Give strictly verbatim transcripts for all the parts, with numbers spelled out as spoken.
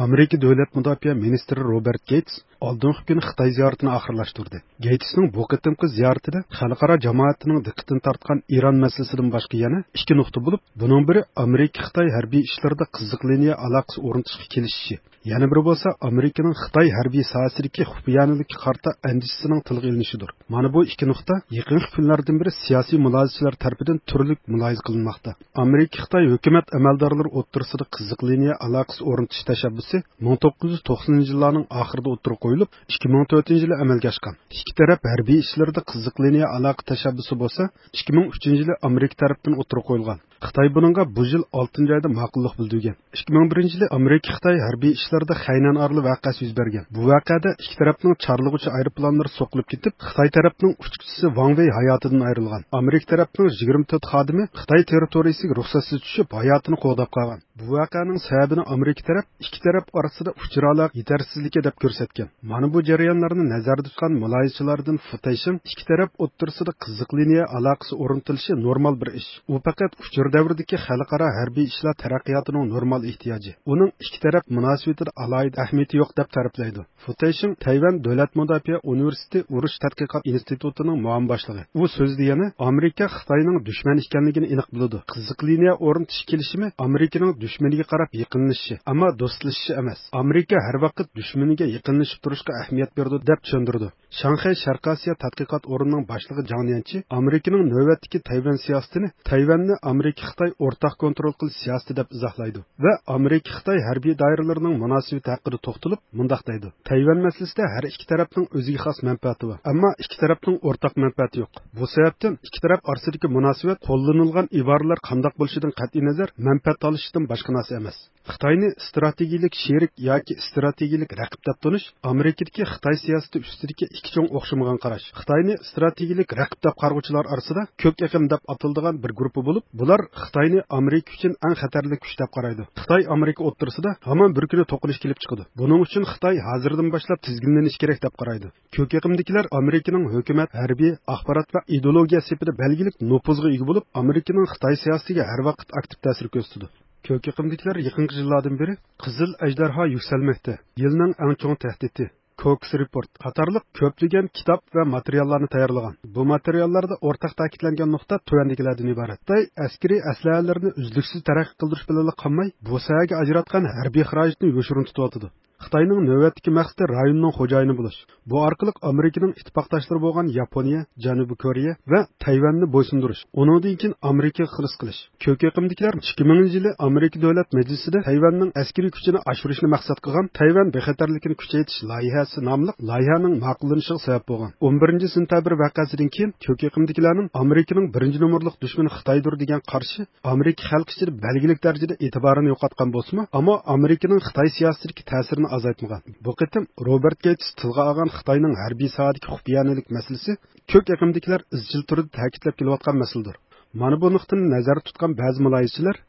ئامېرىكا دۆلەت مۇداپىئە مىنىستىرى روبېرت گېيتس ئالدىنقى كۈنى خىتاي زىيارىتىنى ئاخىرلاشتۇردى. گېيتسنىڭ بۇ قېتىمقى زىيارىتىدە خەلقئارا جامائەتنىڭ دىققىتىنى تارتقان ئىران مەسىلىسىدىن باشقا يەنە ئىككى نۇقتا بولۇپ، بۇنىڭ بىرى ئامېرىكا-خىتاي ھەربىي ئىشلىرىدا قىزىق لىنىيە ئالاقىسى ئورنىتىشقا كېلىشىشى، يەنە بىرى بولسا ئامېرىكىنىڭ خىتاي ھەربىي ساھەسىدىكى خۇپىيانىلىككە قارىتا ئەندىشىسىنىڭ تىلغا ئېلىنىشىدۇر. مانا بۇ ئىككى نۇقتا يېقىنقى كۈنلەردىن بېرى سىياسىي مۇلاھىزىچىلەر تەرىپىدىن تۈرلۈك مۇلاھىزە قىلىنماقتا. ئامېرىكا-خىتاي ھۆكۈمەت ئەمەلدارلىرى ئوتتۇرىسىدا قىزىق لىنىيە ئالاقىسى ئورنىتىش تەشەببۇسى مىڭ توققۇز يۈز توقسىنىنچى يىللارنىڭ ئاخىرىدا ئوتتۇرىغا قويۇلۇپ، ئىككى مىڭ تۆتىنچى يىلى ئەمەلگە ئاشقان. ئىككى تەرەپ ھەربىي ئىشلىرىدا قىزىق لىنىيە ئالاقە تەشەببۇسى بولسا ئىككى مىڭ ئۈچىنچى يىلى ئامېرىكا تەرىپىدىن ئوتتۇرىغا قويۇلغان. خىتاي بۇنىڭغا بۇ يىل ئالتىنچى ئايدا ماقۇللۇق بىلدۈرگەن. ئىككى مىڭ بىرىنچى يىلى ئامېرىكا-خىتاي ھەربىي ئىشلىرىدا خەينەن ئارىلى ۋەقەسى يۈز بەرگەن. بۇ ۋەقەدە ئىككى تەرەپنىڭ چارلىغۇچى ئايروپىلانلىرى سوقۇلۇپ كېتىپ، خىتاي تەرەپنىڭ ئۇچقۇچىسى ۋاڭ ۋېي ھاياتىدىن ئايرىلغان. ئامېرىكا تەرەپنىڭ يىگىرمە تۆت خادىمى خىتاي تېررىتورىيىسىگە رۇخسەتسىز چۈشۈپ، ھاياتىنى قوغداپ قالغان. بۇ ۋەقەنىڭ سەۋەبىنى ئامېرىكا تەرەپ ئىككى تەرەپ ئارىسىدا ئۇچۇر ئالاقە يېتەرسىزلىكى دەپ كۆرسەتكەن. مانا بۇ جەريانلارنى نەزەردە تۇتقان مۇلاھىزىچىلاردىن فۇ تەيشىڭ ئىككى تەرەپ ئوتتۇرىسىدا قىزىق لىنىيە ئالاقىسى ئورنىتىلىشى نورمال بىر ئىش. ئۇ پەقەت ئۇچۇر دەۋرىدىكى خەلقئارا ھەربىي ئىشلار تەرەققىياتىنىڭ نورمال ئېھتىياجى. ئۇنىڭ ئىككى تەرەپ مۇناسىۋىتىدە ئالاھىدە ئەھمىيىتى يوق دەپ تەرىپلەيدۇ. فۇ تەيشىڭ تەيۋەن دۆلەت مۇداپىئە ئۇنىۋېرسىتېتى ئۇرۇش تەتقىقات ئىنستىتۇتىنىڭ مۇئاۋىن باشلىقى. ئۇ سۆزىدە يەنە ئامېرىكا خىتاينىڭ دۈشمەن ئىكەنلىكىنى ئېنىق بىلىدۇ. قىزىق لىنىيە ئورنىتىش كېلىشىمى ئامېرىكىنىڭ دۈشمىنىگە قاراپ يېقىنلىشىشى، ئەمما دوستلىشىشى ئەمەس. ئامېرىكا ھەر ۋاقىت دۈشمىنىگە يېقىنلىشىپ تۇرۇشقا ئەھمىيەت بېرىدۇ، دەپ چۈشەندۈرىدۇ. شاڭخەي شەرقىي ئاسىيا تەتقىقات ئورنىنىڭ باشلىقى جاڭ ليەنچى ئامېرىكىنىڭ نۆۋەتتىكى تەيۋەن سىياسىتىنى تەيۋەننى ئامېرىكا-خىتاي ئورتاق كونترول قىلىش سىياسىتى دەپ ئىزاھلايدۇ ۋە ئامېرىكا-خىتاي ھەربىي دائىرىلىرىنىڭ مۇناسىۋىتى ھەققىدە توختىلىپ مۇنداق دەيدۇ: تەيۋەن مەسىلىسىدە ھەر ئىككى تەرەپنىڭ ئۆزىگە خاس مەنپەئەتى بار، ئەمما ئىككى تەرەپنىڭ ئورتاق مەنپەئەتى يوق. بۇ سەۋەبتىن ئىككى تەرەپ ئارىسىدىكى مۇناسىۋەت، قوللىنىلغان ئىبارىلەر قانداق بولۇشىدىن قەتئىينەزەر، مەنپەئەت تالىشىشتىن باشقا نەرسە ئەمەس. خىتاينى ئىستراتېگىيىلىك شېرىك ياكى ئىستراتېگىيىلىك رەقىب دەپ تونۇش ئامېرىكىدىكى خىتاي سىياسىتى ئۈستىدىكى ئىككى چوڭ ئوخشىمىغان قاراش. خىتاينى ئىستراتېگىيىلىك رەقىب دەپ قارىغۇچىلار ئارىسىدا كۆك ئېقىم دەپ ئاتىلىدىغان بىر گۇرۇپپا بولۇپ، بۇلار خىتاينى ئامېرىكا ئۈچۈن ئەڭ خەتەرلىك كۈچ دەپ قارايدۇ. خىتاي ئامېرىكا ئوتتۇرىسىدا ھامان بىر كۈنى توقۇنۇش كېلىپ چىقىدۇ. بۇنىڭ ئۈچۈن خىتاي ھازىردىن باشلاپ تىزگىنلىنىشى كېرەك دەپ قارايدۇ. كۆك ئېقىمدىكىلەر ئامېرىكىنىڭ ھۆكۈمەت، ھەربىي، ئاخبارات ۋە ئىدېئولوگىيە سېپىدە بەلگىلىك نوپۇزغا ئىگە بولۇپ، ئامېرىكىنىڭ خىتاي سىياسىتىگە ھەر ۋاقىت ئاكتىپ تەسىر كۆرسىتىدۇ. كۆك ئېقىمدىكىلەر يېقىنقى يىللاردىن بېرى قىزىل ئەجدىھا يۈكسەلمەكتە، يىلنىڭ ئەڭ چوڭ تەھدىتى، كوكس رېپورت قاتارلىق كۆپلىگەن كىتاب ۋە ماتېرىياللارنى تەييارلىغان. بۇ ماتېرىياللاردا ئورتاق تەكىتلەنگەن نۇقتا تۆۋەندىكىلەردىن ئىبارەت: خىتاي ئەسكىرىي ئەسلىھەلىرىنى ئۈزلۈكسىز تەرەققىي قىلدۇرۇش بىلەنلا قالماي، بۇ ساھەگە ئاجراتقان ھەربىي خىراجىتىنى يوشۇرۇن تۇتۇۋاتىدۇ. خىتاينىڭ نۆۋەتتىكى مەقسىتى رايوننىڭ خوجايىنى بولۇش. بۇ ئارقىلىق ئامېرىكىنىڭ ئىتتىپاقداشلىرى بولغان ياپونىيە، جەنۇبىي كورېيە ۋە تەيۋەننى بويسۇندۇرۇش، ئۇنىڭدىن كېيىن ئامېرىكىغا خىرىس قىلىش. كۆك ئېقىمدىكىلەر ئىككى مىڭىنچى يىلى ئامېرىكا دۆلەت مەجلىسىدە تەيۋەننىڭ ئەسكىرىي كۈچىنى ئاشۇرۇشنى مەقسەت قىلغان تەيۋەن بىخەتەرلىكىنى كۈچەيتىش لايىھەسى ناملىق لايىھەنىڭ ماقۇللىنىشىغا سەۋەب بولغان. ئون بىرىنچى سېنتەبىر ۋەقەسىدىن كېيىن كۆك ئېقىمدىكىلەرنىڭ ئامېرىكىنىڭ بىرىنچى نومۇرلۇق دۈشمىنى خىتايدۇر دېگەن قارىشى ئامېرىكا خەلقى ئىچىدە بەلگىلىك دەرىجىدە ئېتىبارىنى يوقاتقان بولسىمۇ، ئەمما ئامېرىكىنىڭ خىتاي سىياسىتىدىكى تەسىرىنى ئازايتمىغان. بۇ قېتىم روبېرت گېيتس تىلغا ئالغان خىتاينىڭ ھەربىي ساھەدىكى خۇپىيانىلىك مەسىلىسى كۆك ئېقىمدىكىلەر ئىزچىل تۈردە تەكىتلەپ كېلىۋاتقان مەسىلىدۇر. مانا بۇ نۇقتىنى نەزەردە تۇتقان بەزى مۇلاھىزىچىلەر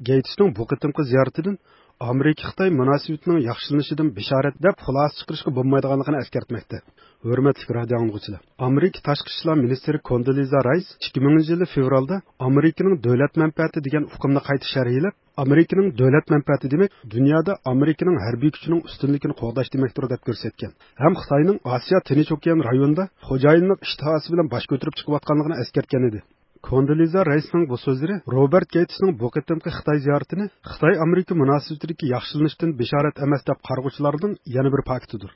گېيتسنىڭ بۇ قېتىمقى زىيارىتىدىن ئامېرىكا-خىتاي مۇناسىۋىتىنىڭ ياخشىلىنىشىدىن بېشارەت دەپ خۇلاسە چىقىرىشقا بولمايدىغانلىقىنى ئەسكەرتمەكتە. ھۆرمەتلىك رادىئو ئاڭلىغۇچىلار، ئامېرىكا تاشقى ئىشلار مىنىستىرى كوندولىزا رايس ئىككى مىڭىنچى يىلى فېۋرالدا ئامېرىكىنىڭ دۆلەت مەنپەئەتى دېگەن ئۇقۇمنى قايتا شەرھلەپ، ئامېرىكىنىڭ دۆلەت مەنپەئەتى دېمەك، دۇنيادا ئامېرىكىنىڭ ھەربىي كۈچىنىڭ ئۈستۈنلۈكىنى قوغداش دېمەكتۇر، دەپ كۆرسەتكەن ھەم خىتاينىڭ ئاسىيا تىنچ ئوكيان رايونىدا خوجايىنلىق ئىشتىھاسى بىلەن باش كۆتۈرۈپ چىقىۋاتقانلىقىنى ئەسكەرتكەن ئىدى. كوندولىزا رايسنىڭ بۇ سۆزلىرى روبېرت گېيتسنىڭ بۇ قېتىمقى خىتاي زىيارىتىنى خىتاي-ئامېرىكا مۇناسىۋىتىدىكى ياخشىلىنىشتىن بېشارەت ئەمەس دەپ قارىغۇچىلارنىڭ يەنە بىر پاكىتىدۇر.